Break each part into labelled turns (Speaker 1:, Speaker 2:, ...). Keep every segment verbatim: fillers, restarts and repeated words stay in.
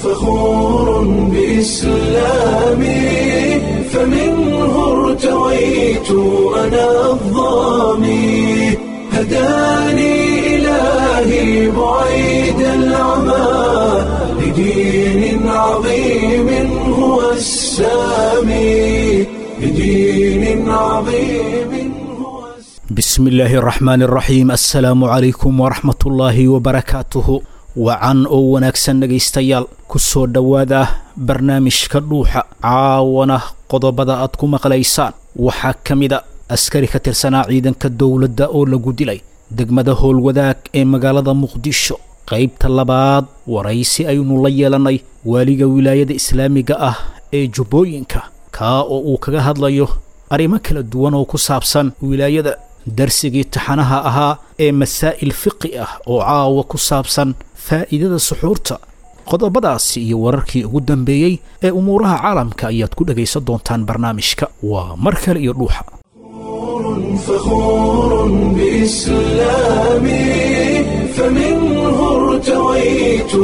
Speaker 1: فخور بإسلامي، فمنه ارتويت أنا الظامي، هداني إلهي بعيد العمى لدين عظيم هو السامي، لدين عظيم هو السامي.
Speaker 2: Bismi illaahi araxmaan araxiim, assalaamu calaykum waraxmatullaahi wabarakaatuhu. Wacan oo wanaagsan dhegaystayaal, ku soo dhowaada barnaamijka Dhuuxa. Caawana qodobada aad ku maqlaysaan waxaa ka mida askari ka tirsanaa ciidanka dowladda oo lagu dilay degmada Howlwadaag ee magaalada Muqdisho. Qaybta labaad waraysi aynu la yeelannay waaliga wilaayada islaamiga ah ee Jubbooyinka, kaa oo uu kaga hadlayo arrimo kala duwan oo ku saabsan wilaayada. Darsigii taxanaha ahaa ee masaa'il fiqi ah oo caawa ku saabsan faa'iidada suxuurta. Qodobadaasi iyo wararkii ugu dambeeyey ee umuuraha caalamka ayaad ku dhegaysan doontaan barnaamijka. Waa mar kale iyo Dhuuxa.
Speaker 1: فخور بإسلامي، فمنه ارتويت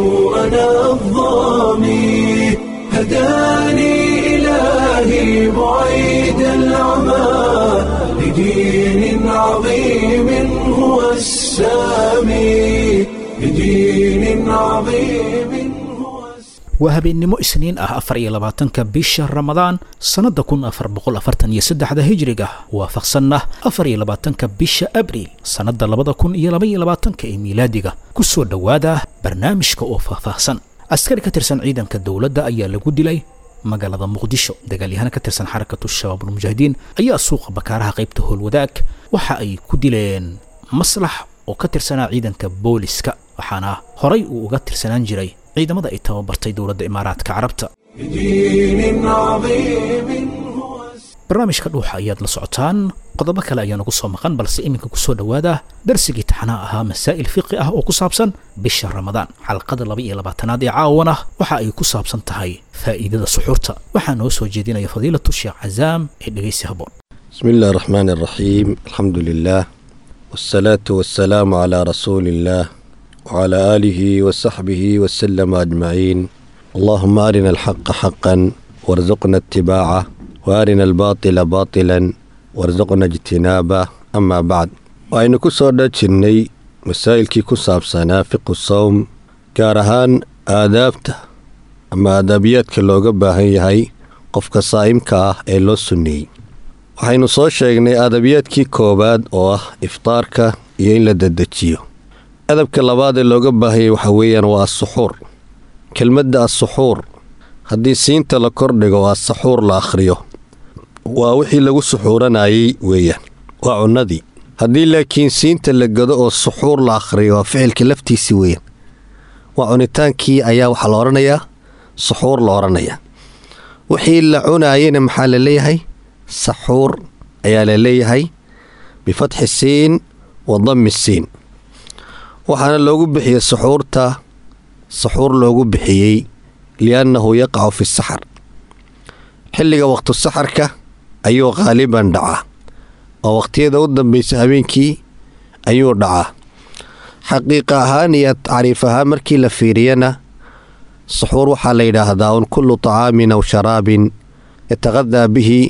Speaker 1: أنا الظامي، هداني إلهي بعيد العمى لدين عظيم هو السامي، لدين عظيم هو السامي.
Speaker 2: Waa habeennimo Isniin ah, afar iyo labaatanka bisha Ramadaan sannadda kun afar boqol afartan iyo saddexda hijriga, waafaqsanna afar iyo labaatanka bisha Abriil sannadda labada kun iyo laba iyo labaatanka ee miilaadiga. Ku soo dhowaada barnaamijka oo faahfaahsan. Askari ka tirsan ciidanka dowladda ayaa lagu dilay magaalada Muqdisho. Dagaalyahana ka tirsan Xarakatu Shabaabulmujaahidiin ayaa suuqa Bakaaraha qaybta Howlwadaag waxa ay ku dileen Maslax oo ka tirsanaa ciidanka booliska, waxaana horay uu uga tirsanaan jiray ciidamada ay tababartay dowladda Imaaraadka Carabta.
Speaker 1: لدين عظيم هو السامي.
Speaker 2: Barnaamijka Dhuuxa ayaad la socotaan, qodobo kale ayaa nagu soo maqan, balse iminka kusoo dhowaada darsigii taxanaha ahaa masaa'il fiqi ah oo ku saabsan bisha Ramadaan. Xalqada laba iyo labaatanaad ee caawana waxa ay ku saabsan tahay faa'iidada suxuurta. Waxaa noo soo jeedinaya fadiilatu Sheekh Cazaam ee dhegaysi haboon.
Speaker 3: بسم الله الرحمن الرحيم، الحمد لله والصلاة والسلام على رسول الله وعلى آله وصحبه وسلم أجمعين. اللهم أرنا الحق حقا وارزقنا اتباعه، وأرنا الباطل باطلا وارزقنا اجتنابه. أما بعد، وأين كسر جني مسائل ku saabsanaa fiqhu sawm, gaar ahaan aadaabta ama aadaabiyaadka looga baahan yahay qofka saa'imka ah ee loo sunneeyey. Waxaynu soo sheegnay adabiyaadkii koowaad oo ah iftaarka iyo in la dedejiyo. Adabka labaad ee looga baahanyay waxa weeyaan waa asuxuur. Kelmadda asuxuur haddii siinta la kordhigo oo asaxuur la akhriyo, waa wixii lagu suxuuranayay weeyaan, waa cunnadii. Haddii laakiin siinta la gado oo suxuur la akhriyo, waa ficilka laftiisi weeyaan, waa cunitaankii ayaa waxaa la odhanayaa suxuur la odhanayaa. Wixii la cunaayena maxaa la leeyahay? Saxuur ayaa la leeyahay, bifatxi siin wa dammi siin. Waxaana loogu bixiyey suxuurta saxuur loogu bixiyey liannahu yaqacu fi saxar, xilliga waqtu saxarka ayuu qaaliban dhacaa, oo waqtiyada u dambaysa habeenkii ayuu dhacaa. Xaqiiqa ahaan iyo tacriif ahaan markii la fiiriyana, suxuur waxaa la yidhaahdaa un kullu طacaamin aw sharaabin yataqadaa bihi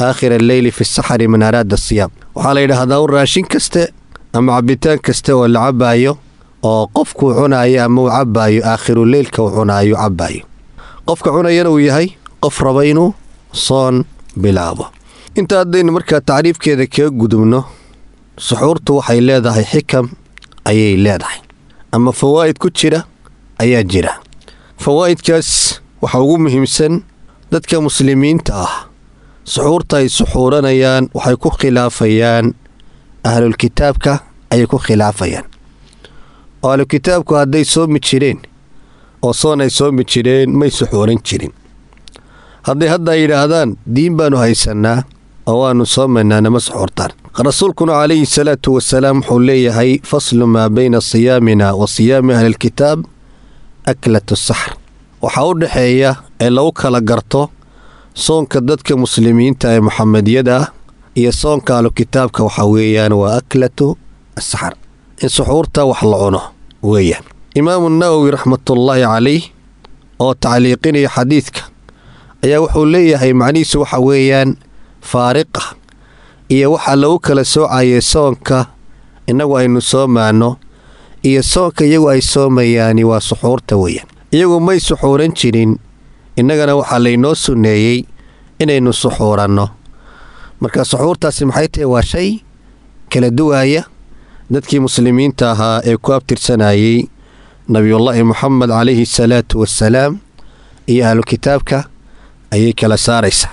Speaker 3: aakhir alleyli fi saxari man araada siyaam. Waxaa la yidhaahdaa un raashin kaste ama cabitaan kaste oo la cabaayo oo qofkuu cunaayo ama uu cabaayo aakhiru leylka uu cunaayo cabaayo, qofka cunayana uu yahay qof raba inuu soon bilaabo. Inta haddaynu markaa tacriifkeeda kaga gudubno, suxuurtu waxay leedahay xikam ayay leedahay ama fawaa'id ku jira ayaa jira. Fawaa'idkaas waxaa ugu muhiimsan, dadka muslimiinta ah suxuurta ay suxuuranayaan waxay ku khilaafayaan ahlulkitaabka ayay ku khilaafayaan, oo ahlulkitaabku hadday soomi jireen oo soon ay soomi jireen may suxuuran jirin. Hadday hadda ay yidhaahdaan diin baanu haysannaa oo waannu soomaynaa, nama suxuurtaan. Rasuulkuna calayhi salaatu wasalaam wuxuu leeyahay: faslu maa bayna siyaamina wa siyaami ahlilkitaab aklatu saxr. Waxaa u dhexeeya ee lagu kala garto soonka dadka muslimiinta ee Muxamediyada ah iyo soonka ahlukitaabka waxaa weeyaan waa aklatu asaxar, in suxuurta wax la cuno weeyaan. Imaamu Nawowi raxmatullaahi calayh oo tacliiqinaya xadiidka ayaa wuxuu leeyahay macnihiisu waxa weeyaan faariqa iyo waxaa lagu kala soocayay soonka innagu aynu soomaano iyo soonka iyagu ay soomayaani waa suxuurta weeyaan. Iyagu may suxuuran jirin, innagana waxaa laynoo sunneeyey inaynu suxuuranno. Marka suxuurtaasi maxay tahay? Waa shay kala duwaaya dadkii muslimiinta ahaa ee ku abtirsanayey nabiyullaahi Muxamed calayhi salaatu wassalaam iyo ahlu kitaabka ayay kala saaraysaa.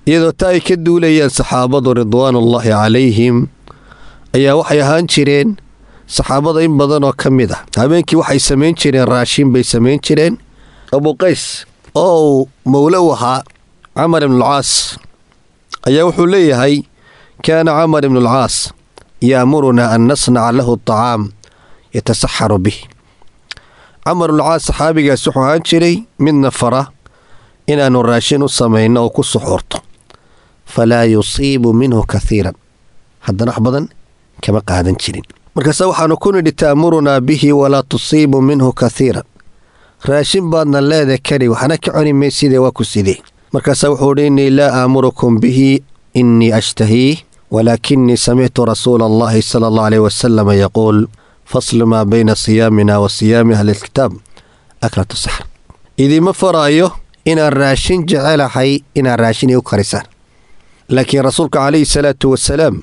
Speaker 3: Iyadoo taa ay ka duulayaan saxaabadu ridwaanullaahi calayhim ayaa waxay ahaan jireen saxaabada in badan oo ka mid ah habeenkii waxay samayn jireen raashin bay samayn jireen. Abu Qays oo uu mawlo u ahaa Camar ibnulcaas ayaa wuxuu leeyahay kaana Camar ibnulcaas yaamurunaa an nasnaca lahu acaam yatasaxaru bih. Camar ibnulcaas saxaabigaas wuxuu ahaan jiray midna fara inaannu raashin u samayno oo ku suxuurto, falaa yusiibu minhu kathiiran, haddana wax badan kama qaadan jirin. Markaase waxaanu ku nidhi ta'murunaa bihi walaa tusiibu minhu kathiiran, raashin baadna leeda kari waxna ka cuni maysidee waa ku sidee. Markaasaa wuxuu idhi innii laa aamurukum bihi innii ashtahiih walaakinii samictu rasuula allahi sala allahu aleyh wasalam yaquul faslu maa bayna siyaamina wa siyaami ahli lkitaab aklatu saxr. Idiima faraayo inaan raashin jecelahay inaad raashin iu karisaan, laakiin rasuulka calayhi salaatu wasalaam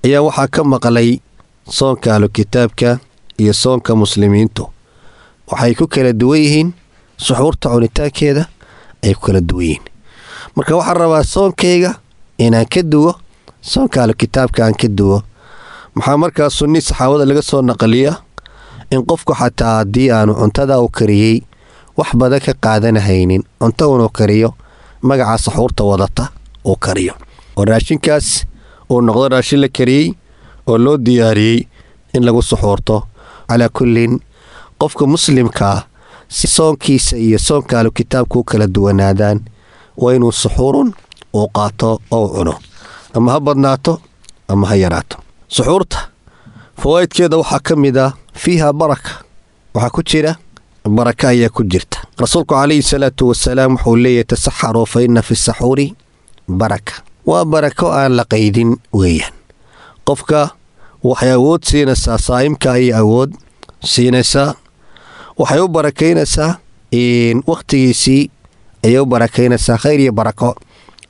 Speaker 3: ayaa waxaa ka maqlay soonka ahlu kitaabka iyo soonka muslimiintu waxay ku kala duwan yihiin suxuurta cunitaankeeda ay ku kala duwan yihiin. Marka waxaan rabaa soonkayga inaan ka duwo soonka ahlu kitaabka aan ka duwo. Maxaa markaa sunni saxaabada laga soo naqliya in qofku xataa haddii aanu cuntada u kariyey wax badan ka qaadanahaynin, cunto unuu kariyo magaca saxuurta wadata uu kariyo, oo raashinkaas uu noqdo raashin la kariyey oo loo diyaariyey in lagu suxuurto. Calaa kullin qofka muslimkaa si soonkiisa iyo soonka ahlu kitaabka u kala duwanaadaan waa inuu suxuurun uu qaato oo cuno, ama ha badnaato ama ha yaraato. Suxuurta fawaa'idkeeda waxaa ka mid ah fiiha baraka, waxaa ku jira baraka ayaa ku jirta. Rasuulku calayhi salaatu wasalaam wuxuu leeyahay tasaxaruu fa inna fi saxuuri baraka. Waa barako aan la qaydin weeyaan. Qofka waxay awood siinaysaa saa'imka ayay awood siinaysaa, waxay u barakaynaysaa wakhtigiisii ayay u barakaynaysaa, khayr iyo barako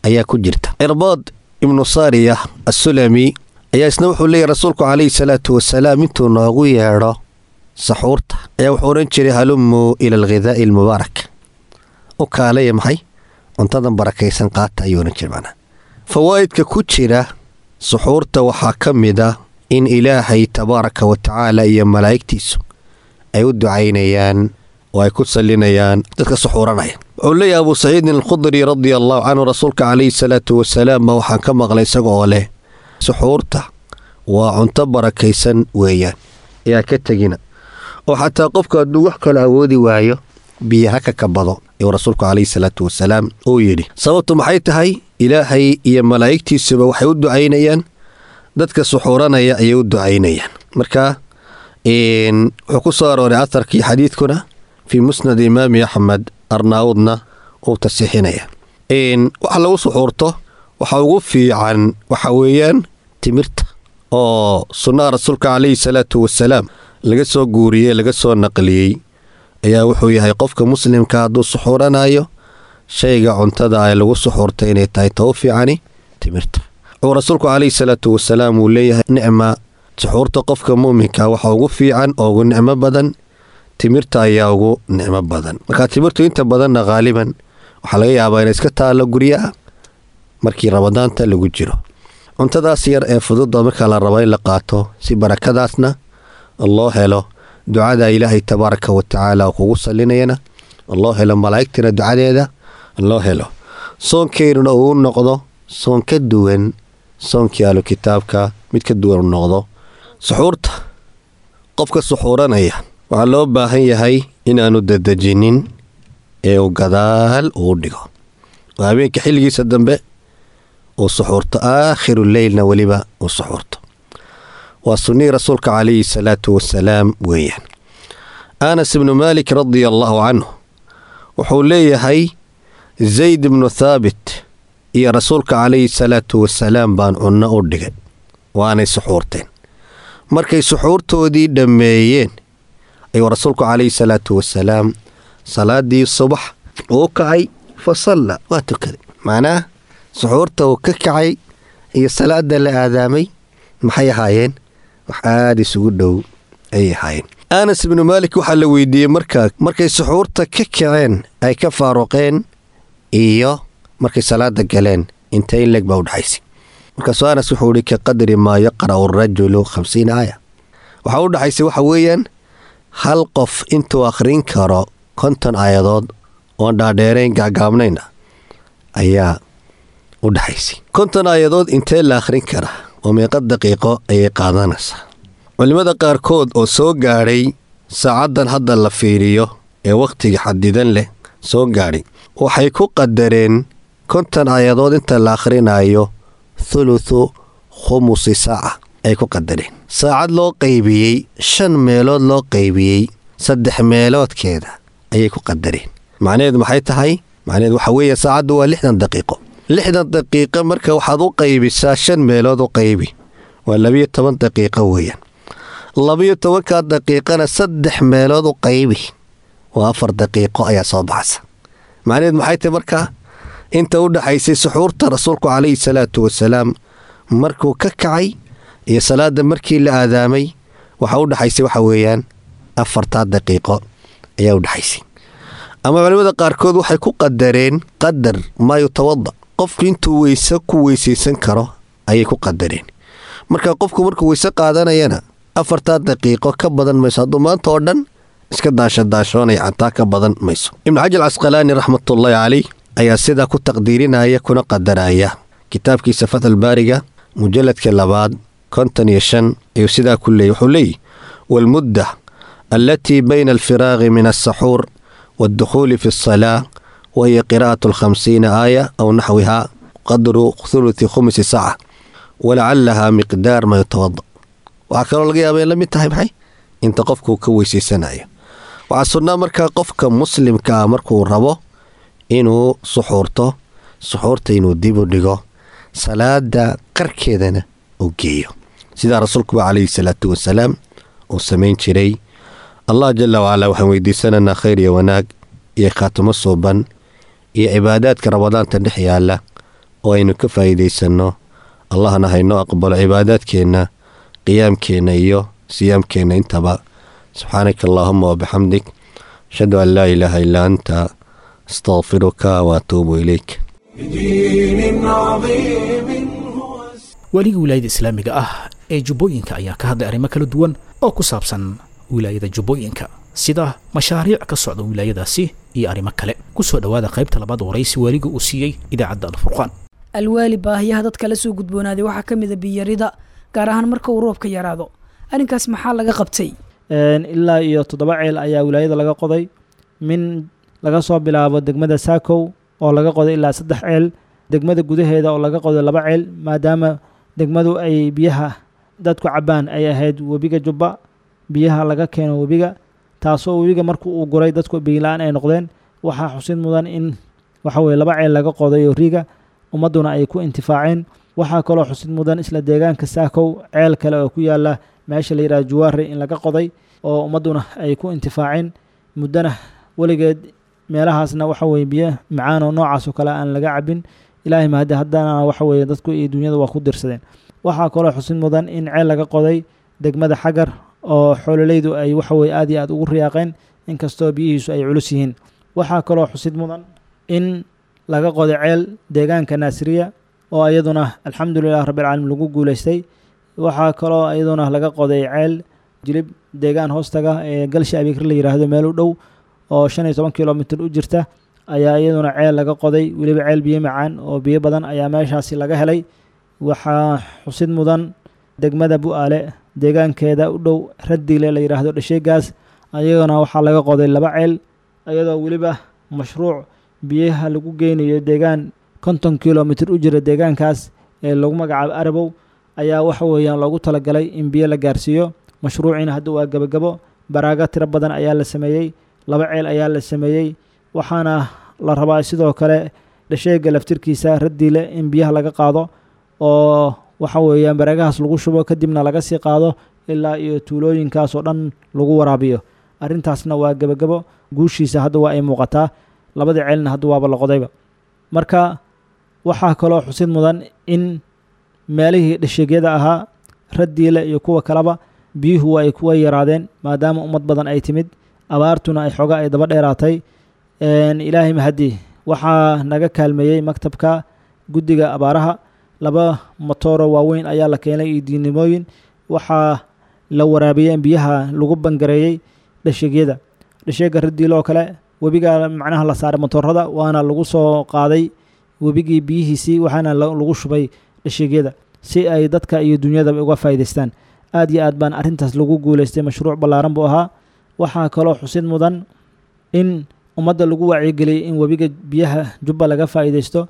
Speaker 3: ayaa ku jirta. Cirbaad ibnu Saariya assulami ayaa isna wuxuu leeyahy rasuulku calayhi salaatu wasalaam intuu noogu yeedho saxuurta ayaa wuxuu odhan jiray halumuu ila alghidaa'i almubaarak, u kaalaya maxay cuntadan barakaysan qaata ayuu odhan jiray. Macnaha fawaa'idka ku jira suxuurta waxaa ka mid ah in Ilaahay tabaaraka wa tacaala iyo malaa'igtiisu ay u ducaynayaan oo ay ku sallinayaan dadka suxuuranaya. Wuxuu leeyahay Abuu Saciidin Alkhudri radia allahu canhu rasuulka calayhi salaatu wasalaam ma waxaan ka maqlay isaga oo leh suxuurta waa cunto barakaysan weeyaan, ayaa ka tegina oo xataa qofka hadduu wax kale awoodi waayo biyo ha ka kabado ayuu rasuulku calayhi salaatu wasalaam uu yidhi. Sababtu maxay tahay? Ilaahay iyo malaa'igtiisuba waxay u ducaynayaan dadka suxuuranaya ayay u ducaynayaan. Marka wuxuu ku soo arooray aharkii xadiidkuna fii musnad imaami Axmed, Arnaawudna uu tasixinaya. Waxa lagu suxuurto waxa ugu fiican waxa weeyaan timirta oo sunnaha rasuulka calayhi salaatu wasalaam laga soo guuriyey laga soo naqliyey ayaa wuxuu yahay qofka muslimka hadduu suxuuranayo shayga cuntada ay lagu suxuurtay inay tahay taw fiicani timirta. Wuxuu rasuulku calayhi salaatu wasalaam uu leeyahay nicma suxuurta qofka muuminka waxa ugu fiican oo ugu nicmo badan timirta ayaa ugu nicmo badan. Marka timirtu inta badanna haaliban waxaa laga yaabaa inay iska taallo guryaha markii ramadaanta lagu jiro. Cuntadaas yar ee fududda markaa la rabo in la qaato si barakadaasna loo helo, ducada Ilaahay tabaaraka wa tacaala kugu sallinayana loo helo, malaa'igtana ducadeeda loo helo, soonkeynuna uu noqdo soon ka duwan soonkii ahlu kitaabka, mid ka duwan u noqdo. Suxuurta qofka suxuuranaya waxaa loo baahan yahay inaanu dadejinin ee uu gadaal uu dhigo, oo habeenka xilligiisa dambe uu suxuurto, aakhiru leylna weliba uu suxuurto. Waa sunnihii rasuulka calayhi salaatu wasalaam weeyaan. Anas ibnu Maalik radia allaahu canhu Wuxuu leeyahay Zayd ibnu Thaabit iyo rasuulka calayhi salaatu wasalaam baan cunno u dhigay, waanay suxuurteen. Markay suxuurtoodii dhammeeyeen ayuu rasuulku calayhi salaatu wasalaam salaadii subax uu kacay, fa salla, waa tukaday. Macnaha suxuurta uu ka kacay iyo salaada la aadaamay maxay ahaayeen? Wax aada isugu dhow ayay ahaayeen. Anas ibnu Maalik waxaa la weydiiyey markaa markay suxuurta ka kaceen ay ka faaruqeen iyo markay salaada galeen intee in leeg baa u dhexaysay. Markaasuu Anas wuxuu ihi ka qadri maa yaqra'u arajulu khamsiina aaya. Waxaa u dhexaysay waxa weeyaan hal qof intuu akhrin karo konton aayadood oon dhaadheerayn gaagaabnayn ah ayaa u dhexaysay. Konton aayadood intee la akhrin karaa oo meeqa daqiiqo ayay qaadanaysaa? Culimmada qaarkood oo soo gaadhay saacaddan hadda la fiiriyo ee wakhtiga xadidan leh soo gaadhay waxay ku qadareen konton aayadood inta la akhrinayo thuluthu khumusi saaca ay ku qadareen. Saacad loo qaybiyey shan meelood loo qaybiyey saddex meeloodkeeda ayay ku qadareen. Macnaheedu maxay tahay? Macnaheedu waxa weeye saacaddu waa lixdan daqiiqo. Lixdan daqiiqo marka waxaad u qaybisaa shan meelood u qaybi, waa labiyo toban daqiiqo weeyaan. Labiyo tobankaa daqiiqana saddex meelood u qaybi, waa afar daqiiqo ayaa soo baxaysa. Macnaheedu maxay tahay markaa? Inta u dhaxaysay suxuurta rasuulku calayhi salaatu wasalaam markuu ka kacay iyo salaada markii la aadaamay waxa u dhaxaysay waxa weeyaan afartaa daqiiqo ayaa u dhaxaysay. Ama culimada qaarkood waxay ku qadareen qadar maa yutawada, qofku intuu weyse ku weysaysan karo ayay ku qadareen. Marka qofku markuu weyse qaadanayana afartaa daqiiqo ka badan mayso, hadduu maanta oo dhan iska daasho daashoonaya xataa ka badan mayso. Ibnu Xajar Casqalaani raxmatullaahi calayh ayaa sidaa ku taqdiirinaya kuna qadaraya kitaabkiisa Fathul Baariga mujalladka labaad konton iyo shan ayuu sidaa ku leeyay. Wuxuu leeyahy waalmudda allatii bayna alfiraaqi min alsaxuur waaldukhuuli fi alsalaa wahiya qiraa'atu alkhamsiina aaya aw naxwiha qadru thuluthi khumsi saaca walacalaha miqdaar maa yutawada. Waxaa kaloo laga yaaba in la mid tahay maxay inta qofku ka weysaysanayo. Waxaa sunnaa markaa qofka muslimka ah markuu rabo inuu suxuurto, suxuurta inuu dib u dhigo, salaada qarkeedana uu geeyo, sidaa rasuulkuba calayhi salaatu wasalaam uu samayn jiray. Allah jala wacalaa waxaan weydiisanaynaa khayr iyo wanaag iyo khaatimo suuban iyo cibaadaadka ramadaanta dhex yaalla oo aynu ka faa'iidaysanno. Allahna haynoo aqbalo cibaadaadkeenna, qiyaamkeenna iyo siyaamkeenna intaba. Subxaanaka allaahuma wabixamdik, ashhadu an laa ilaaha illaa anta, astaqfiruka waatuubu ilayk.
Speaker 1: بدين عظيم هو
Speaker 2: Waaliga wilaayada islaamiga ah ee Jubbooyinka ayaa ka hadlay arrimo kala duwan oo ku saabsan wilaayada Jubbooyinka, sida mashaariic ka socda wilaayadaasi iyo arrimo kale. Kusoo dhowaada qaybta labaad waraysi waaliga uu siiyey idaacadda Alfurqaan.
Speaker 4: Alwaali, baahiyaha dadka la soo gudboonaaday waxaa ka mid a biyarida, gaar ahaan marka uu roobka yaraado. Arrinkaas maxaa laga qabtay?
Speaker 5: Ilaa iyo toddoba ceel ayaa wilaayada laga qoday, min laga soo bilaabo degmada Saakow oo laga qoday ilaa saddex ceel, degmada gudaheeda oo laga qoday laba ceel, maadaama degmadu ay biyaha dadku cabbaan ay ahayd webiga Jubba, biyaha laga keeno webiga, taasoo webiga markuu uu guray dadku biyo-la-aan ay noqdeen. Waxaa xusid mudan in waxa weye laba ceel laga qoday oo riiga ummadduna ay ku intifaaceen. Waxaa kaloo xusid mudan isla deegaanka Saakow ceel kale oo ku yaala meesha la yidhahdo Juwaare in laga qoday oo ummadduna ay ku intifaaceen muddana weligeed. Meelahaasna waxa weye biyo macaan oo noocaas oo kale aan laga cabin, Ilaahay mahadi haddana waxa weye dadku iyo dunyada waa ku dirsadeen. Waxaa kaloo xusid mudan in ceel laga qoday degmada Xagar oo xoololeydu ay waxa weye aad iyo aad ugu riyaaqeen, inkastoo biyihiisu ay culus yihiin. Waxaa kaloo xusid mudan in laga qoday ceel deegaanka Naasiriya oo iyaduna alxamdulilah rabbilcaalamiin lagu guuleystay. Waxaa kaloo iyaduna laga qoday ceel Jilib deegaan hoostaga ee Galsha Abikri la yidhaahdo meel u dhow oo shan iyo toban kilomitir u jirta ayaa iyaduna ceel laga qoday, weliba ceel biyo macaan oo biyo badan ayaa meeshaasi laga helay. Waxaa xusid mudan degmada Bu'aale deegaankeeda u dhow Raddiile la yidhaahdo dhasheegaas, ayagana waxaa laga qoday laba ceel, iyadoo weliba mashruuc biyaha lagu geynayo deegaan konton kilomitir u jira deegaankaas ee lagu magacaabo Arabow ayaa waxa weeyaan loogu talagalay in biyo la gaarsiiyo. Mashruuciina hadda waa gabagabo, baraaga tiro badan ayaa la sameeyey, laba ceel ayaa la sameeyey. Waxaana la rabaa sidoo kale dhasheega laftirkiisa Radiile in biyaha laga qaado oo waxa weeyaan bareegahaas lagu shubo, kadibna laga sii qaado ilaa iyo tuulooyinkaas oo dhan lagu waraabiyo. Arrintaasna waa gebagabo, guushiisa hadda waa ay muuqataa, labadii ceelna hadda waaba la qodayba. Marka waxaa kaloo xusid mudan in meelihii dhasheegyada ahaa Radiile iyo kuwa kaleba biyuhu waa ay kuwa yaraadeen, maadaama ummad badan ay timid, abaartuna ay xoogaa ay daba dheeraatay. Ilaahay mahadi, waxaa naga kaalmeeyey maktabka guddiga abaaraha, laba matooro waaweyn ayaa la keenay iyo diinimooyin. Waxaa la waraabiyey biyaha lagu bangareeyey dhasheegyada, dhasheega Radiile oo kale webiga macnaha la saaray matoorada, waana lagu soo qaaday webigii biyihiisii, waxaana lagu shubay dhasheegyada si ay dadka iyo dunyadaba uga faa'iidaystaan. Aad iyo aad baan arrintaas lagu guuleystay, mashruuc ballaaran buu ahaa. Waxaa kaloo xusid mudan in ummadda lagu wacyigeliyey in webiga biyaha Jubba laga faa'iidaysto.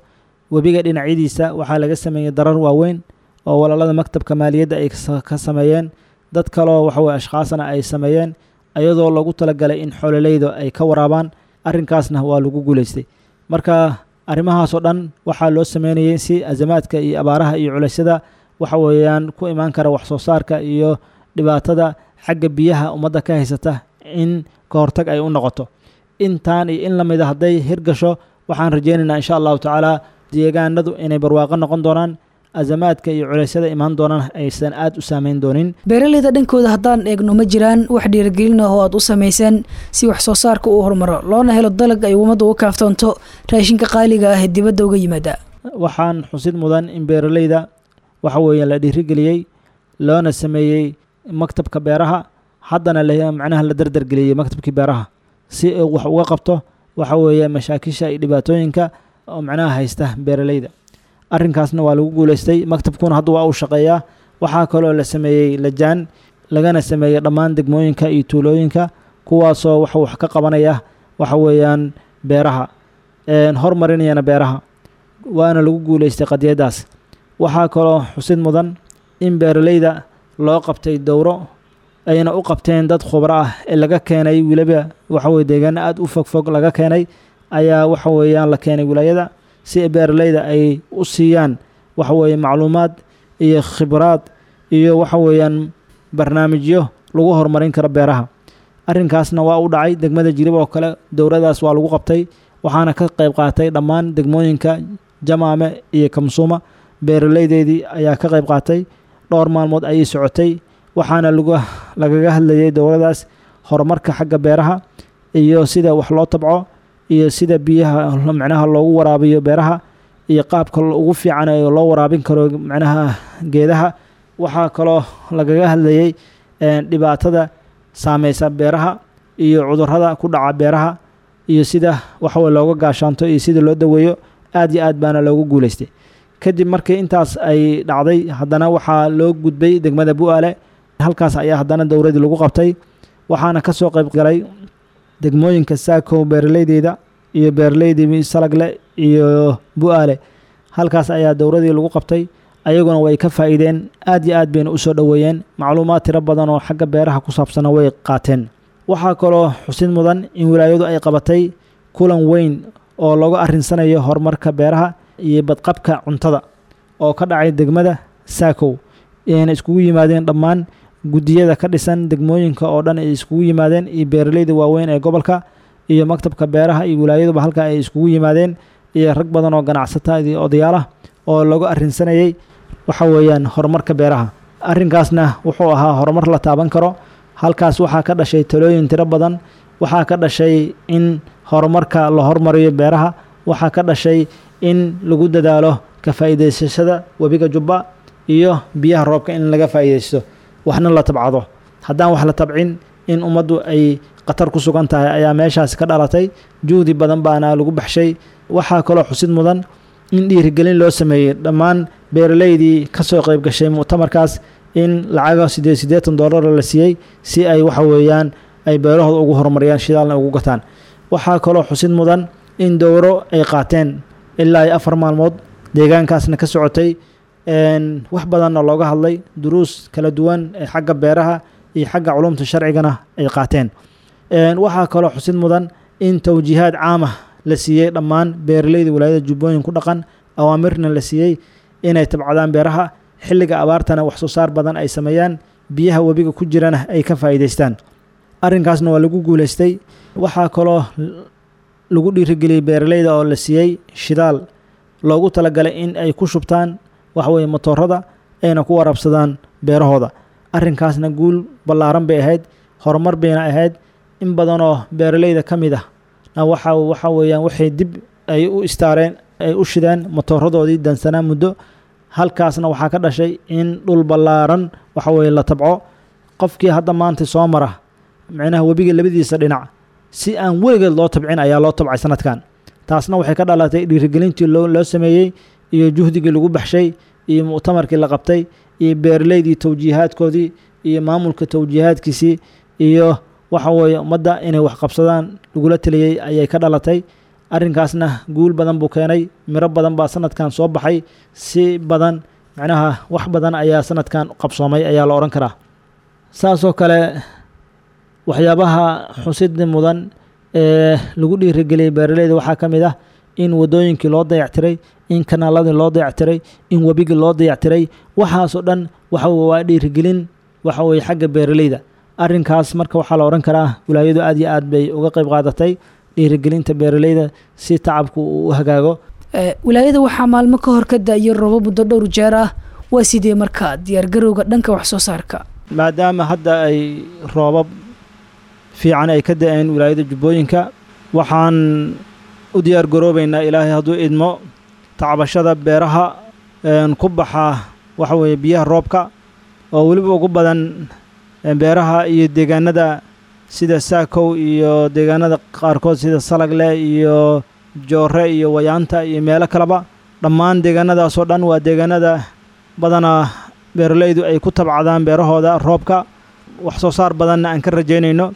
Speaker 5: Webiga dhinacyadiisa waxaa laga sameeyey darar waaweyn oo walaalada maktabka maaliyadda ay ka sameeyeen, dad kaloo waxa weye ashkhaasna ay sameeyeen, iyadoo loogu talagalay in xoololeyda ay ka waraabaan. Arrinkaasna waa lagu guuleystay. Marka arrimahaasoo dhan waxaa loo sameynayay si azamaadka iyo abaaraha iyo culeysyada waxa weeyaan ku imaan kara wax soo saarka iyo dhibaatada xagga biyaha ummadda ka haysata in ka hortag ay u noqoto. Intaan iyo in lamida hadday hirgasho, waxaan rajeynaynaa insha allahu tacaala deegaanadu inay barwaaqo noqon doonaan, azamaadka iyo culeysyada imaan doonaan aysan aad u saameyn doonin.
Speaker 4: Beeraleyda dhankooda haddaan eegno, ma jiraan wax dhiirigelin ah oo aad u samayseen si wax soo saarka uu horumaro loona helo dalag ay ummadda uga kaaftoonto raashinka qaaliga ah ee dibadda uga yimaada?
Speaker 5: Waxaan xusid mudan in beeraleyda waxa weeyaan la dhiirigeliyey, loona sameeyey maktabka beeraha, haddana macnaha la dardargeliyey maktabkii beeraha si uu wax uga qabto waxa weeye mashaakisha iyo dhibaatooyinka oo macnaha haysta beeraleyda. Arrinkaasna waa lagu guuleystay, maktabkuna hadda waa uu shaqeeyaa. Waxaa kaloo la sameeyey lajaan, lagana sameeyey dhammaan degmooyinka iyo tuulooyinka, kuwaasoo wax wax ka qabanaya waxa weeyaan beeraha, horumarinayana beeraha, waana lagu guuleystay qadiyadaas. Waxaa kaloo xusid mudan in beeraleyda loo qabtay dowro ayna u qabteen dad khubro ah ee laga keenay weliba waxa weye deegaano aad u fogfog laga keenay, ayaa waxa weeyaan la keenay wilaayada si beeraleyda ay u siiyaan waxa weeye macluumaad iyo khibraad iyo waxa weeyaan barnaamijyo lagu horumarin karo beeraha. Arrinkaasna waa u dhacay degmada Jilib oo kale, dowradaas waa lagu qabtay, waxaana ka qayb qaatay dhammaan degmooyinka Jamaame iyo Kamsuuma. Beeraleydeedii ayaa ka qayb qaatay, dhowr maalmood ayay socotay, waxaana lagu lagaga hadlayay dowradaas horumarka xagga beeraha iyo sida wax loo tabco iyo sida biyaha macnaha loogu waraabiyo beeraha iyo qaabka ugu fiican ee loo waraabin karo macnaha geedaha. Waxaa kaloo lagaga hadlayay dhibaatada saameysa beeraha iyo cudurrada ku dhaca beeraha iyo sida waxaweye looga gaashaanto iyo sida loo daweeyo. Aad iyo aad baana loogu guuleystay. Kadib markii intaas ay dhacday, haddana waxaa loo gudbay degmada Bu'aale, halkaas ayaa haddana dowradii lagu qabtay. Waxaana ka soo qayb galay degmooyinka Saako beeraleydeeda iyo beeraleydii Salagle iyo Bu'aale. Halkaas ayaa dowradii lagu qabtay, ayaguna way ka faa'iideen, aad iyo aad bayna u soo dhoweeyeen, macluumaad tiro badan oo xagga beeraha ku saabsana way qaateen. Waxaa kaloo xusid mudan in wilaayadu ay qabatay kulan weyn oo looga arrinsanayo horumarka beeraha iyo badqabka cuntada oo ka dhacay degmada Saakow, ayna iskugu yimaadeen dhammaan guddiyada ka dhisan degmooyinka oo dhan ay iskugu yimaadeen iyo beeraleyda waaweyn ee gobolka iyo maktabka beeraha iyo wilaayaduba halka ay iskugu yimaadeen, iyo rag badan oo ganacsata iyo odayaal ah oo looga arrinsanayay waxa weeyaan horumarka beeraha. Arrinkaasna wuxuu ahaa horumar la taaban karo. Halkaas waxaa ka dhashay talooyin tiro badan, waxaa ka dhashay in horumarka la hormariyo beeraha, waxaa ka dhashay in lagu dadaalo ka faa'iidaysashada webiga Jubba iyo biyaha roobka in laga faa'iidaysto, waxna la tabcado. Haddaan wax la tabcin in ummaddu ay khatar ku sugan tahay ayaa meeshaas ka dhalatay. Juhdi badan baana lagu baxshay. Waxaa kaloo xusid mudan in dhiirigelin loo sameeyey dhammaan beeraleydii ka soo qayb gashay mu'tamarkaas, in lacaga siddeed siddeetan doolar la siiyey si ay waxa weeyaan ay beerahooda ugu horumariyaan, shidaalna ugu gataan. Waxaa kaloo xusid mudan in dowro ay qaateen ilaa iyo afar maalmood deegaankaasna ka socotay, wax badanna looga hadlay, duruus kala duwan ee xagga beeraha iyo xagga culumta sharcigana ay qaateen. Waxaa kaloo xusid mudan in tawjiihaad caam ah la siiyey dhammaan beeraleyda wilaayada Jubbooyin ku dhaqan, awaamirna la siiyey inay tabcadaan beeraha xilliga abaartana wax soo saar badan ay sameeyaan, biyaha webiga ku jirana ay ka faa'iidaystaan. Arrinkaasna waa lagu guuleystay. Waxaa kaloo lagu dhiirigeliyey beeraleyda oo la siiyey shidaal loogu talagalay in ay ku shubtaan waxa weeye matoorada ayna ku waraabsadaan beerahooda. Arrinkaasna guul ballaaran bay ahayd, horumar bayna ahayd. In badanoo beeraleyda ka mid ah na waxa, waxa weeyaan waxay dib ay u istaareen, ay u shideen matooradoodii dansanaa muddo. Halkaasna waxaa ka dhashay in dhul ballaaran waxa weeye la tabco. Qofkii hadda maanta soo mara micnaha webiga labadiisa dhinac si aan weligeed loo tabcin ayaa loo tabcay sanadkan. Taasna waxay ka dhalatay dhiirigelintii loo, loo sameeyey iyo juhdigii lagu baxshay iyo mu'tamarkii la qabtay iyo beeraleydii tawjiihaadkoodii iyo maamulka tawjiihaadkiisii iyo waxa weeye ummadda inay wax qabsadaan lagula taliyey ayay ka dhalatay. Arrinkaasna guul badan buu keenay, miro badan baa sanadkan soo baxay, si badan micnaha wax badan ayaa sanadkan qabsoomay ayaa la odhan karaa. Saasoo kale waxyaabaha xusida mudan ee lagu dhiirigeliyey beeraleyda waxaa ka mid ah in wadooyinkii loo dayactiray, in kanaaladii loo dayactiray, in webigii loo dayactiray. Waxaasoo dhan waxa waa dhiirigelin waxa weeye xagga beeraleyda. Arrinkaas marka waxaa la odhan karaa wilaayadu aad iyo aad bay uga qayb qaadatay dhiirigelinta beeraleyda si tacabku uu u hagaago.
Speaker 4: Wilaayada waxaa maalmo ka hor ka da'ayay roobab muddo dhowr jeer ah. Waa sidee markaa diyaargarowga dhanka wax soo saarka?
Speaker 5: Maadaama hadda ay roobab fiican ay ka da'een wilaayada Jubbooyinka, waxaan u diyaargaroobaynaa Ilaahay hadduu idmo tacbashada beeraha ku baxa waxa weeye biyaha roobka, oo weliba ugu badan beeraha iyo deegaanada sida Saakow iyo deegaanada qaarkood sida Salagle iyo Joore iyo Wayaanta iyo meelo kaleba. Dhammaan deegaanadaasoo dhan waa deegaanada badanaa beeraleydu ay ku tabcadaan beerahooda roobka, wax soo saar badanna aan ka rajaynayno.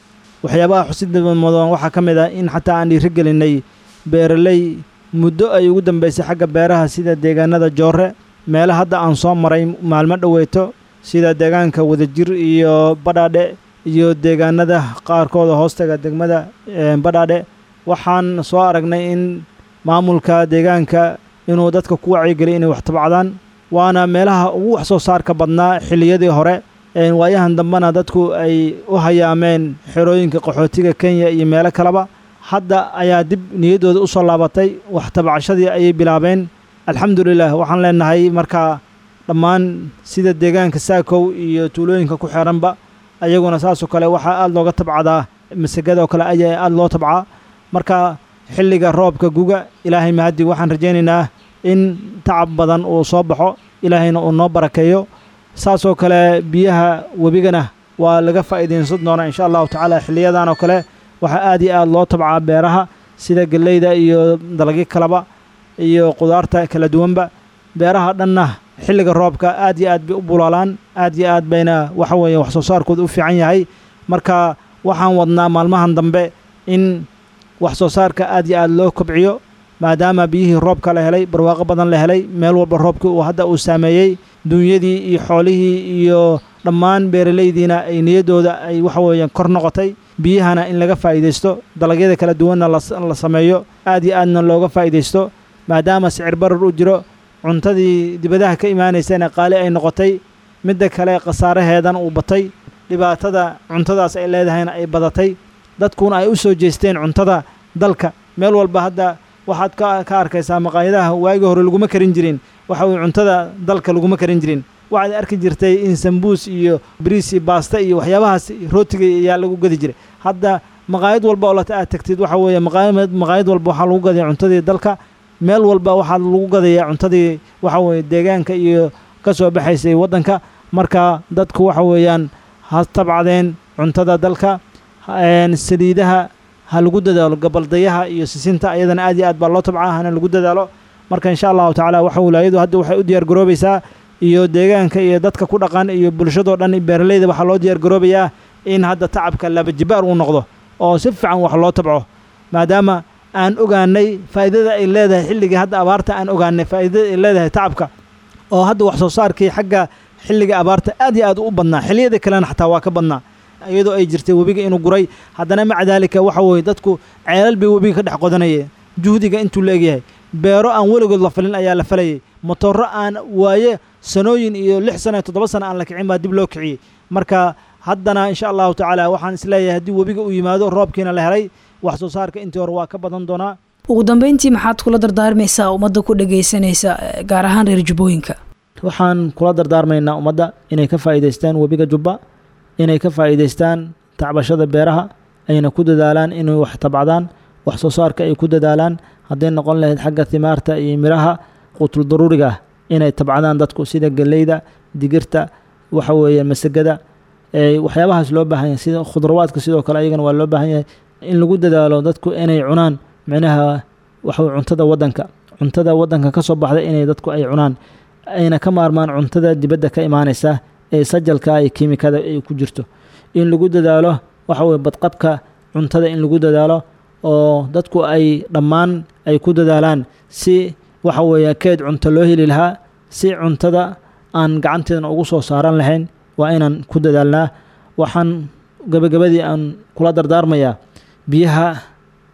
Speaker 5: Waxyaabaha xusida mudan waxaa ka mid ah in xataa aan dhiirigelinay beeraley muddo ay ugu dambeysay xagga beeraha sida deegaanada Joore, meelo hadda aan soo maray maalmo dhoweeto sida deegaanka Wadajir iyo Badhaadhe iyo deegaanada qaarkood hoostaga degmada Badhaadhe. Waxaan soo aragnay in maamulka deegaanka inuu dadka ku wacyigeliyo inay wax tabcadaan, waana meelaha ugu wax soo saarka badnaa xilliyadii hore. Waayahan dambena dadku ay u hayaameen xerooyinka qaxootiga Kenya iyo meelo kaleba. Hadda ayaa dib niyaddooda u soo laabatay, wax tabcashadii ayay bilaabeen. Alxamdulilah, waxaan leenahay markaa dhammaan sida deegaanka Saakow iyo tuulooyinka ku xeeranba ayaguna saasoo kale waxaa aad looga tabcadaa masagada oo kale ayaa aad loo tabcaa. Marka xilliga roobka guga Ilaahay mahadi, waxaan rajaynaynaa in tacab badan uu soo baxo, Ilaahayna uu noo barakeeyo. Saasoo kale biyaha webigana waa laga faa'iidaysan doonaa insha Allahu tacaala. Xilliyadan oo kale waxaa aad iyo aad loo tabcaa beeraha sida galleyda iyo dalagyo kaleba iyo qudaarta kala duwanba. Beeraha dhanna xilliga roobka aad iyo aad bay u bulaalaan, aad iyo aad bayna waxa weeye wax soo saarkooda u fiican yahay. Marka waxaan wadnaa maalmahan dambe in wax soo saarka aad iyo aad loo kobciyo, maadaama biyihii roobka la helay, barwaaqo badan la helay, meel walba roobkii uu hadda uu saameeyey dunyadii iyo xoolihii iyo dhammaan beeraleydiina ay niyaddooda ay waxa weeyaan kor noqotay. Biyahana in laga faa'iidaysto, dalagyada kala duwanna la sameeyo, aad iyo aadna looga faa'iidaysto, maadaama sicir barar u jiro, cuntadii dibadaha ka imaanaysana qaali ay noqotay, midda kale khasaaraheedan uu batay, dhibaatada cuntadaas ay leedahayna ay badatay, dadkuna ay u soo jeesteen cuntada dalka. Meel walba hadda waxaad ka ka arkaysaa maqaayadaha waagii hore laguma karin jirin waxa uu cuntada dalka laguma karin jirin. Waxaad arki jirtay in sambuus iyo bariis iyo baasta iyo waxyaabahaas rootiga ayaa lagu gadi jiray. Hadda maqaayad walba oo aad tagtid waxa weeye maqaayad maqaayad walba waxaa lagu gadayaa cuntadii dalka. Meel walba waxaa lagu gadayaa cuntadii waxa weeye deegaanka iyo ka soo baxaysay waddanka. Marka dadku waxa weeyaan ha tabcadeen cuntada dalka, saliidaha ha lagu dadaalo, gabaldayaha iyo sisinta ayadana aad iyo aad baa loo tabcaa, hana lagu dadaalo. Marka insha Allahu tacaala waxa wilaayadu hadda waxay u diyaar garoobaysaa iyo deegaanka iyo dadka ku dhaqan iyo bulshadoo dhan beeraleyda waxaa loo diyaar garoobayaa in hadda tacabka laba jibaar uu noqdo oo si fiican wax loo tabco, maadaama aan ogaanay faa'iidada ay leedahay xilligii hadda abaarta, aan ogaanay faa'iidada ay leedahay tacabka, oo hadda wax soo saarkii xagga xilliga abaarta aad iyo aad u badnaa, xilliyada kalena xataa waa ka badnaa. Iyadoo ay jirtay webiga inuu guray, haddana maca daalika waxa weeye dadku ceelal bay webiga ka dhex qodanayeen. Juhdiga intuu la egyahay, beero aan weligood la falin ayaa la falayay, matooro aan waaye sanooyin iyo lix sano iyo toddoba sano aan la kicin baa dib loo kiciyey. Marka haddana insha Allahu tacaala waxaan isleeyahay haddii webiga uu yimaado, roobkiina la helay, wax soo saarka intii hore waa ka badan doonaa.
Speaker 4: Ugu dambeyntii, maxaad kula dardaarmaysaa ummadda ku dhagaysanaysa, gaar ahaan reer Jubbooyinka?
Speaker 5: Waxaan kula dardaarmaynaa ummadda inay ka faa'iidaystaan webiga Jubba, inay ka faa'iidaystaan tacbashada beeraha, ayna ku dadaalaan inay wax tabcadaan, wax soo saarka ay ku dadaalaan, hadday noqon lahayd xagga thimaarta iyo miraha quutul daruuriga ah inay tabcadaan dadku, sida galleyda, digirta, waxa weeye masagada, waxyaabahaas loo baahan yahay, sida khudrawaadka sidoo kale ayagana waa loo baahan yahay in lagu dadaalo dadku inay cunaan, micnaha waxa cuntada waddanka, cuntada waddanka ka soo baxda inay dadku ay cunaan, ayna ka maarmaan cuntada dibadda ka imaanaysa ee sajalka iyo kiimikada ay ku jirto. In lagu dadaalo waxa weye badqabka cuntada, in lagu dadaalo oo dadku ay dhammaan ay ku dadaalaan si waxa weeye keed cunto loo heli lahaa, si cuntada aan gacanteedana ugu soo saaran lahayn, waa inaan ku dadaalnaa. Waxaan gabagabadii aan kula dardaarmayaa, biyaha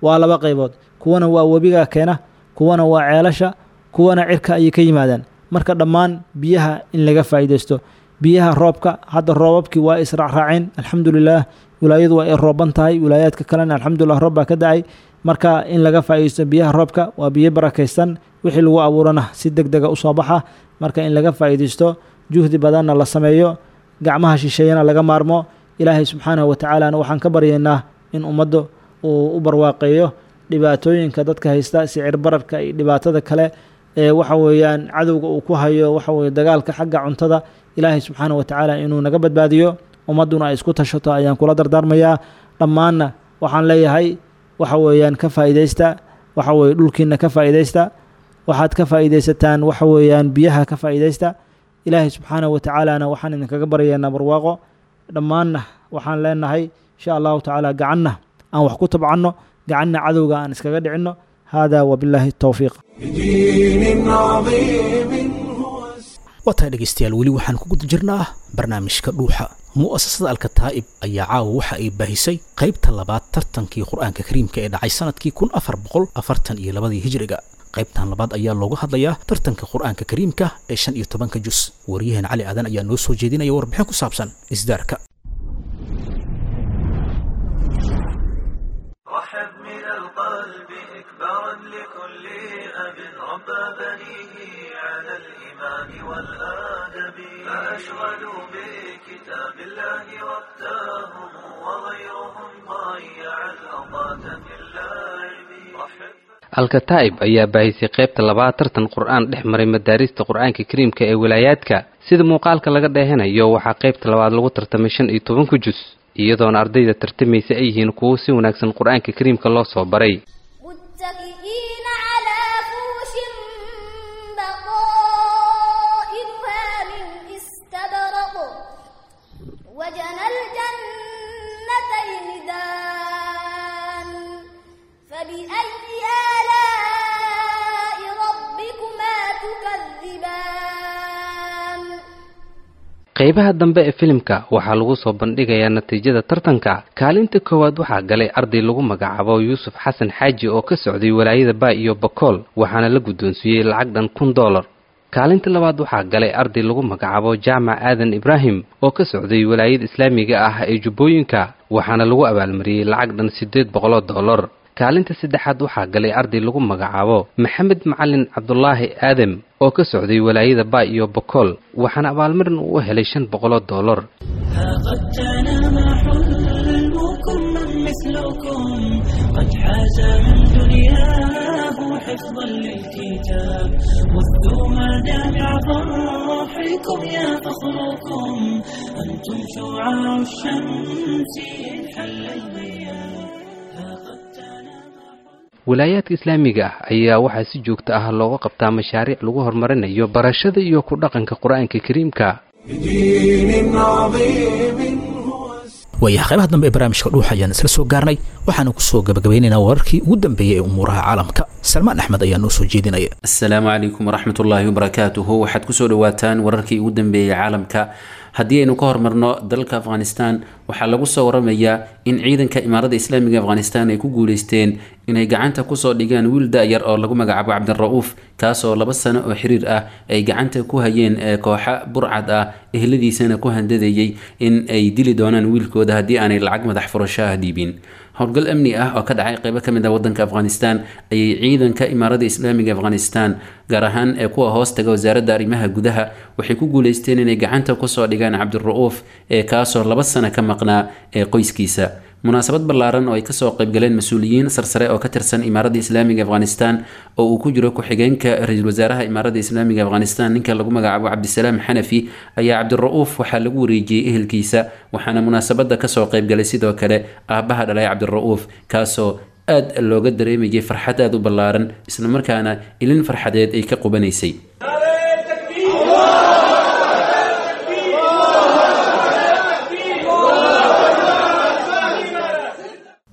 Speaker 5: waa laba qaybood: kuwana waa webiga keena, kuwana waa ceelasha, kuwana cirka ayay ka yimaadaan. Marka dhammaan biyaha in laga faa'iidaysto, biyaha roobka. Hadda roobabkii waa israacraaceen, alxamdulilah. Wilaayadu waa ay rooban tahay, wilaayaadka kalena alxamdulilah roob baa ka da-ay. Marka in laga faa'iidaysto biyaha roobka, waa biyo barakaysan, wixii lagu abuurana si deg dega usoo baxa. Marka in laga faa'iidaysto, juhdi badanna la sameeyo, gacmaha shisheeyana laga maarmo. Ilaahay subxaanahu watacaalana waxaan ka baryaynaa in ummadda uu u barwaaqeeyo. Dhibaatooyinka dadka haysta, sicir bararka iyo dhibaatada kale ee waxa weeyaan cadowga uu ku hayo, waxa weye dagaalka xagga cuntada, Ilaahay subxaanahu watacaala inuu naga badbaadiyo, ummadduna ay isku tashato ayaan kula dardaarmayaa. Dhammaanna waxaan leeyahay waxa weeyaan ka faa'iidaysta, waxa weye dhulkiina ka faa'iidaysta, waxaad ka faa'iidaysataan waxa weeyaan biyaha ka faa'iidaysta. Ilaahay subxaanahu watacaalana waxaan idinkaga baryaynaa barwaaqo. Dhammaanna waxaan leenahay insha Allahu tacaala gacanna aan wax ku tabcanno, gacanna cadowga aan iskaga dhicinno. Hada wabilaahi towfiiq.
Speaker 1: بدين عظيم هو
Speaker 2: Waa tahay dhegaystayaal, weli waxaan ku guda jirnaa barnaamijka Dhuuxa. Mu'asasada Alkataa'ib ayaa caawa waxa ay baahisay qaybta labaad tartankii Qur-aanka Kariimka ee dhacay sanadkii kun afar boqol afartan iyo labadii hijriga. Qaybtan labaad ayaa looga hadlayaa tartanka Qur-aanka Kariimka ee shan iyo tobanka jus. Waryahan Cali Aadan ayaa noo soo jeedinaya warbixin ku saabsan isdaarka.
Speaker 6: رحب من القلب إكبارا لكل أب ربى بنيه على الإيمان والآدب، فأشغلوا بكتاب الله وقتهم وغيرهم ضيع الأوقات في اللعب. رحب
Speaker 7: Alkataa'ib ayaa baahisay qaybta labaad tartan Qur-aan dhex maray madaarista Qur-aanka Kariimka ee wilaayaadka. Sida muuqaalka laga dheehanayo, waxaa qaybta labaad lagu tartamay shan iyo tobanka jus, iyadoona ardayda tartamaysa ay yihiin kuwo si wanaagsan Qur-aanka Kariimka loo soo baray.
Speaker 8: متكئين على فرش بطائنها من استبرق وجنى الجنتين دان، فبأي آلاء ربكما تكذبان؟
Speaker 7: Qaybaha dambe ee filimka waxaa lagu soo bandhigayaa natiijada tartanka. Kaalinta koowaad waxaa galay arday lagu magacaabo Yuusuf Xasan Xaaji oo ka socday walaayada Baa iyo Bakool, waxaana la guddoonsiiyey lacag dhan kun dollar. Kaalinta labaad waxaa galay arday lagu magacaabo Jaamac Aadan Ibraahim oo ka socday walaayada islaamiga ah ee Jubbooyinka, waxaana lagu abaalmariyey lacag dhan siddeed boqoloo dollar. Kaalinta saddexaad waxaa galay arday lagu magacaabo Maxamed Macalin Cabdulaahi Aadam oo ka socday walaayada Baa iyo Bakool, waxaana abaalmarin uu u helay shan boqoloo dollar.
Speaker 9: قد تنام حلمكم، من مثلكم قد حاز من دنياه حفظا للكتاب؟ وثوا مدامع فرحكم يا فخركم، أنتم شعاع الشمس إن حل الغياب. قد تنام
Speaker 7: Walaayaadka islaamiga ah ayaa waxaa si joogto ah looga qabtaa mashaariic lagu horumarinayo barashada iyo ku dhaqanka Qur-aanka Kariimka.
Speaker 1: بدين عظيم هو
Speaker 2: Waayaha, qaybaha dambe ee barnaamijka Dhuuxa ayaan isla soo gaarnay. Waxaanu kusoo gabagabeynaynaa wararkii ugu dambeeyey ee umuuraha caalamka. Salmaan Axmed ayaa noo soo jeedinaya.
Speaker 10: Asalaamu calaykum waraxmatullaahi wabarakaatuhu. Waxaad kusoo dhawaataan wararkii ugu dambeeyey caalamka. Haddii aynu ka hormarno dalka Afghanistan, waxaa lagu soo waramayaa in ciidanka Imaarada Islaamiga Afghanistan ay ku guuleysteen inay gacanta kusoo dhigaan wiil da-yar oo lagu magacaabo Cabdira'uuf, kaasoo laba sano oo xiriir ah ay gacanta ku hayeen kooxa burcad ah, ehladiisana ku handadayay in ay dili doonaan wiilkooda haddii aanay lacag madax furasho ah dhiibin. Howlgal amni ah oo ka dhacay qeybo ka mid ah wadanka Afghanistan ayay ciidanka Imaarada Islaamiga Afghanistan, gaar ahaan ee kuwa hoos taga wasaaradda arrimaha gudaha, waxay ku guuleysteen inay gacanta kusoo dhigaan Cabdira'uuf ee kaasoo laba sano ka maqnaa ee qoyskiisa. Munaasabad ballaaran oo ay kasoo qaybgaleen mas-uuliyiin sarsare oo ka tirsan Imaarada Islaamiga Afghanistan, oo uu ku jiro ku-xigeenka ra-iisul wasaaraha Imaarada Islaamiga Afghanistan ninka lagu magacaabo Cabdisalaam Xanafi, ayaa Cabdira'uuf waxaa lagu wareejiyey ehelkiisa. Waxaana munaasabada kasoo qaybgalay sidoo kale aabbaha dhalay Cabdira'uuf, kaasoo aad looga dareemayay farxad aada u ballaaran, islamarkaana ilin farxadeed ay ka qubanaysay.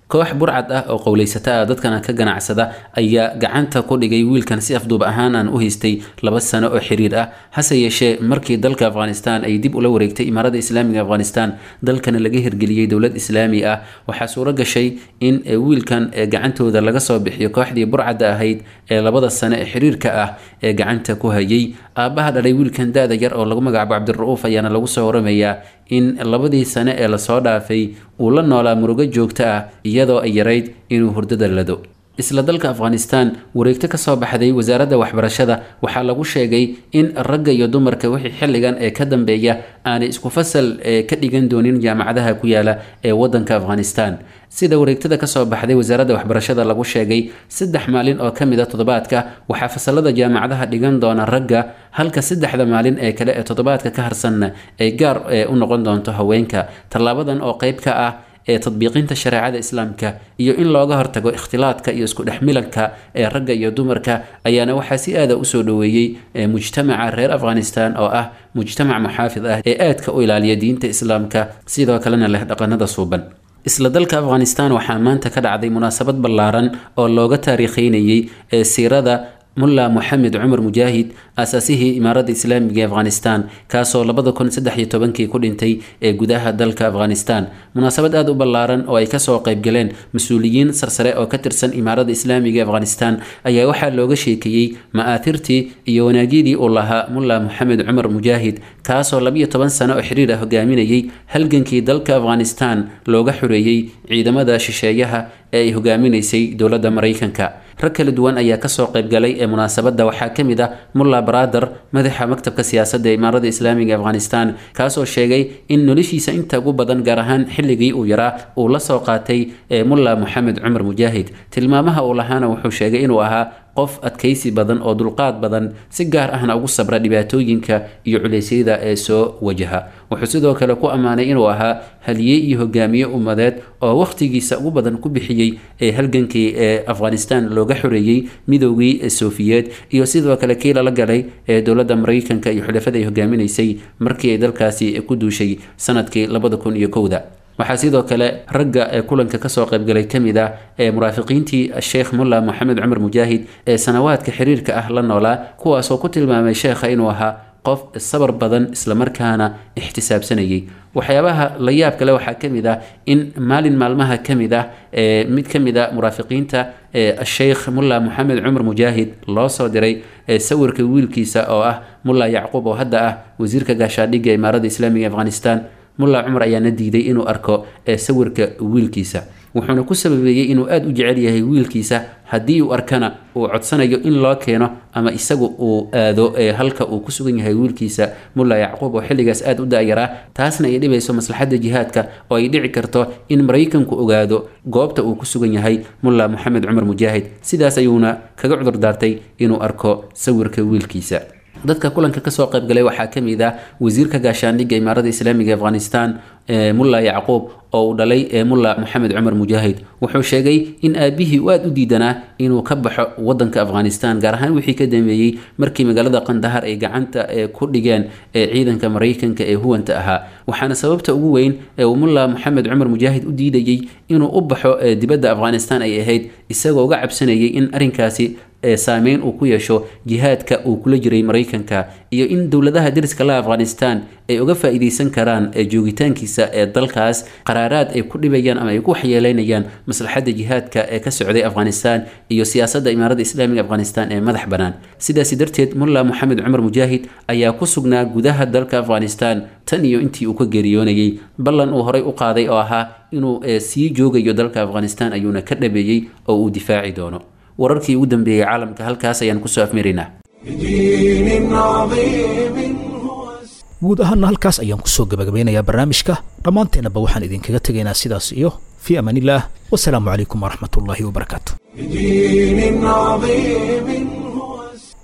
Speaker 10: Koox burcad ah oo qowleysata ah dadkana ka ganacsada ayaa gacanta ku dhigay wiilkan si afduub ahaan aan u haystay laba sano oo xiriir ah. Hase yeeshee, markii dalka Afghanistan ay dib ula wareegtay Imaarada Islaamiga Afghanistan, dalkana laga hirgeliyey dowlad islaami ah, waxaa suuro gashay in wiilkan gacantooda laga soo bixiyo kooxdii burcadda ahayd ee labada sano ee xiriirka ah ee gacanta ku hayay. Aabbaha dhalay wiilkan da-da yar oo lagu magacaabo Cabdira'uuf ayaana lagu soo waramayaa in labadii sane ee lasoo dhaafay uu la noolaa murugo joogto ah, iyadoo ay yarayd inuu hurdada lado. Isla dalka Afghanistan, wareegto kasoo baxday wasaaradda waxbarashada waxaa lagu sheegay in ragga iyo dumarka wixii xilligan ee ka dambeeya aanay isku fasal ka dhigan doonin jaamacadaha ku yaala ee wadanka Afghanistan. Sida wareegtada kasoo baxday wasaaradda waxbarashada lagu sheegay, saddex maalin oo kamid a toddobaadka waxaa fasalada jaamacadaha dhigan doona ragga, halka saddexda maalin ee kale ee toddobaadka ka harsanna ay gaar u noqon doonto haweenka. Tallaabadan oo qeyb ka ah ee tadbiiqinta shareecada islaamka iyo in looga hortago ikhtilaadka iyo isku dhexmilanka ee ragga iyo dumarka ayaana waxaa si aada usoo dhoweeyey mujtamaca reer Afghanistan oo ah mujtamac muxaafid ah ee aadka u ilaaliya diinta islaamka, sidoo kalena leh dhaqanada suuban. Isla dalka Afghanistan waxaa maanta ka dhacday munaasabad ballaaran oo looga taariikheynayay ee siirada Mulla Moxamed Cumar Mujaahid, aasaasihii Imaarada Islaamiga ee Afghanistan, kaasoo labada kun saddex iyo tobankii ku dhintay ee gudaha dalka Afghanistan. Munaasabad aada u ballaaran oo ay kasoo qaybgaleen mas-uuliyiin sarsare oo ka tirsan Imaarada Islaamiga ee Afghanistan ayaa waxaa looga sheekeeyey ma'aathirtii iyo wanaagyadii uu lahaa Mulla Moxamed Cumar Mujaahid, kaasoo labiyo toban sano oo xiriir ah hogaaminayay halgankii dalka Afghanistan looga xoreeyey ciidamada shisheeyaha ee ay hogaaminaysay dowladda Maraykanka. Rag kala duwan ayaa kasoo qaybgalay ee munaasabadda. Waxaa ka mid ah Mulla Barader, madaxa maktabka siyaasadda ee Imaarada Islaamiga Afghanistan, kaasoo sheegay in noloshiisa inta ugu badan, gaar ahaan xilligii uu yaraa, uu la soo qaatay ee Mulla Moxamed Cumar Mujaahid. Tilmaamaha uu lahaana wuxuu sheegay inuu ahaa qof adkaysi badan oo dulqaad badan, si gaar ahna ugu sabra dhibaatooyinka iyo culeysyada ee soo wajaha. Wuxuu sidoo kale ku ammaanay inuu ahaa haliye iyo hogaamiye ummadeed oo wakhtigiisa ugu badan ku bixiyey ee halgankii ee Afghanistan looga xoreeyey midoogii Sofiyeed iyo sidoo kale kii lala galay ee dowladda Maraykanka iyo xulafada ay hogaaminaysay markii ay dalkaasi ku duushay sanadkii labada kun iyo kowda. Waxaa sidoo kale ragga ee kulanka kasoo qaybgalay ka mid ah ee muraafiqiintii Sheekh Mulla Moxamed Cumar Mujaahid ee sanawaadka xiriirka ah la noolaa, kuwaasoo ku tilmaamay sheekha inuu ahaa qof sabar badan, islamarkaana ixtisaabsanayay. Waxyaabaha la yaab kale waxaa ka mid ah in maalin maalmaha ka mid ah ee mid ka mid a muraafiqiinta Sheekh Mulla Moxamed Cumar Mujaahid loo soo diray sawirka wiilkiisa oo ah Mulla Yacquub, oo hadda ah wasiirka gaashaadhigga Imaarada Islaamiga Afghanistan. Mulla Cumar ayaana diiday inuu arko sawirka wiilkiisa, wuxuuna ku sababeeyey inuu aada u jecel yahay wiilkiisa, haddii uu arkana uu codsanayo in loo keeno ama isagu uu aado halka uu ku sugan yahay wiilkiisa Mulla Yacquub oo xilligaas aada u da-yaraa, taasna ay dhibayso maslaxadda jihaadka oo ay dhici karto in Maraykanku ogaado goobta uu ku sugan yahay Mulla Moxamed Cumar Mujaahid. Sidaas ayuuna kaga cudur daartay inuu arko sawirka wiilkiisa. Dadka kulanka kasoo qaybgalay waxaa ka mid ah wasiirka gaashaandhigga Imaarada Islaamiga Afghanistan Mulla Yacquub oo uu dhalay Mulla Moxamed Cumar Mujaahid. Wuxuu sheegay in aabihii uu aada u diidanaa inuu ka baxo wadanka Afghanistan, gaar ahaan wixii ka dambeeyey markii magaalada Qandahar ay gacanta ku dhigeen ciidanka Maraykanka ee huwanta ahaa. Waxaana sababta ugu weyn ee uu Mulla Moxamed Cumar Mujaahid u diidayey inuu u baxo dibadda Afghanistan ay ahayd isagoo uga cabsanayay in arrinkaasi saameyn uu ku yeesho jihaadka uu kula jiray Maraykanka, iyo in dowladaha deriska la Afghanistan ay uga faa'iidaysan karaan joogitaankiisa ee dalkaas qaraaraad ay ku dhibayaan ama ay ku waxyeeleynayaan maslaxadda jihaadka ee ka socday Afghanistan iyo siyaasadda Imaaradda Islaamiga Afghanistan ee madax bannaan. Sidaasi darteed Mulla Moxamed Cumar Mujaahid ayaa ku sugnaa gudaha dalka Afghanistan tan iyo intii uu ka geeriyoonayay. Ballan uu horay u qaaday oo ahaa inuu sii joogayo dalka Afghanistan ayuuna ka dhabeeyey oo uu difaaci doono. Wararkii ugu dambeeyey caalamka halkaas ayaan kusoo afmaraynaa.
Speaker 1: بدين عظيم
Speaker 2: Guud ahaana halkaas ayaan kusoo gabagabeynayaa barnaamijka. Dhammaanteennaba waxaan idinkaga tegaynaa sidaas iyo fii amaanillaah, wasalaamu calaykum waraxmatullaahi wabarakaatu.
Speaker 1: بدين عظيم.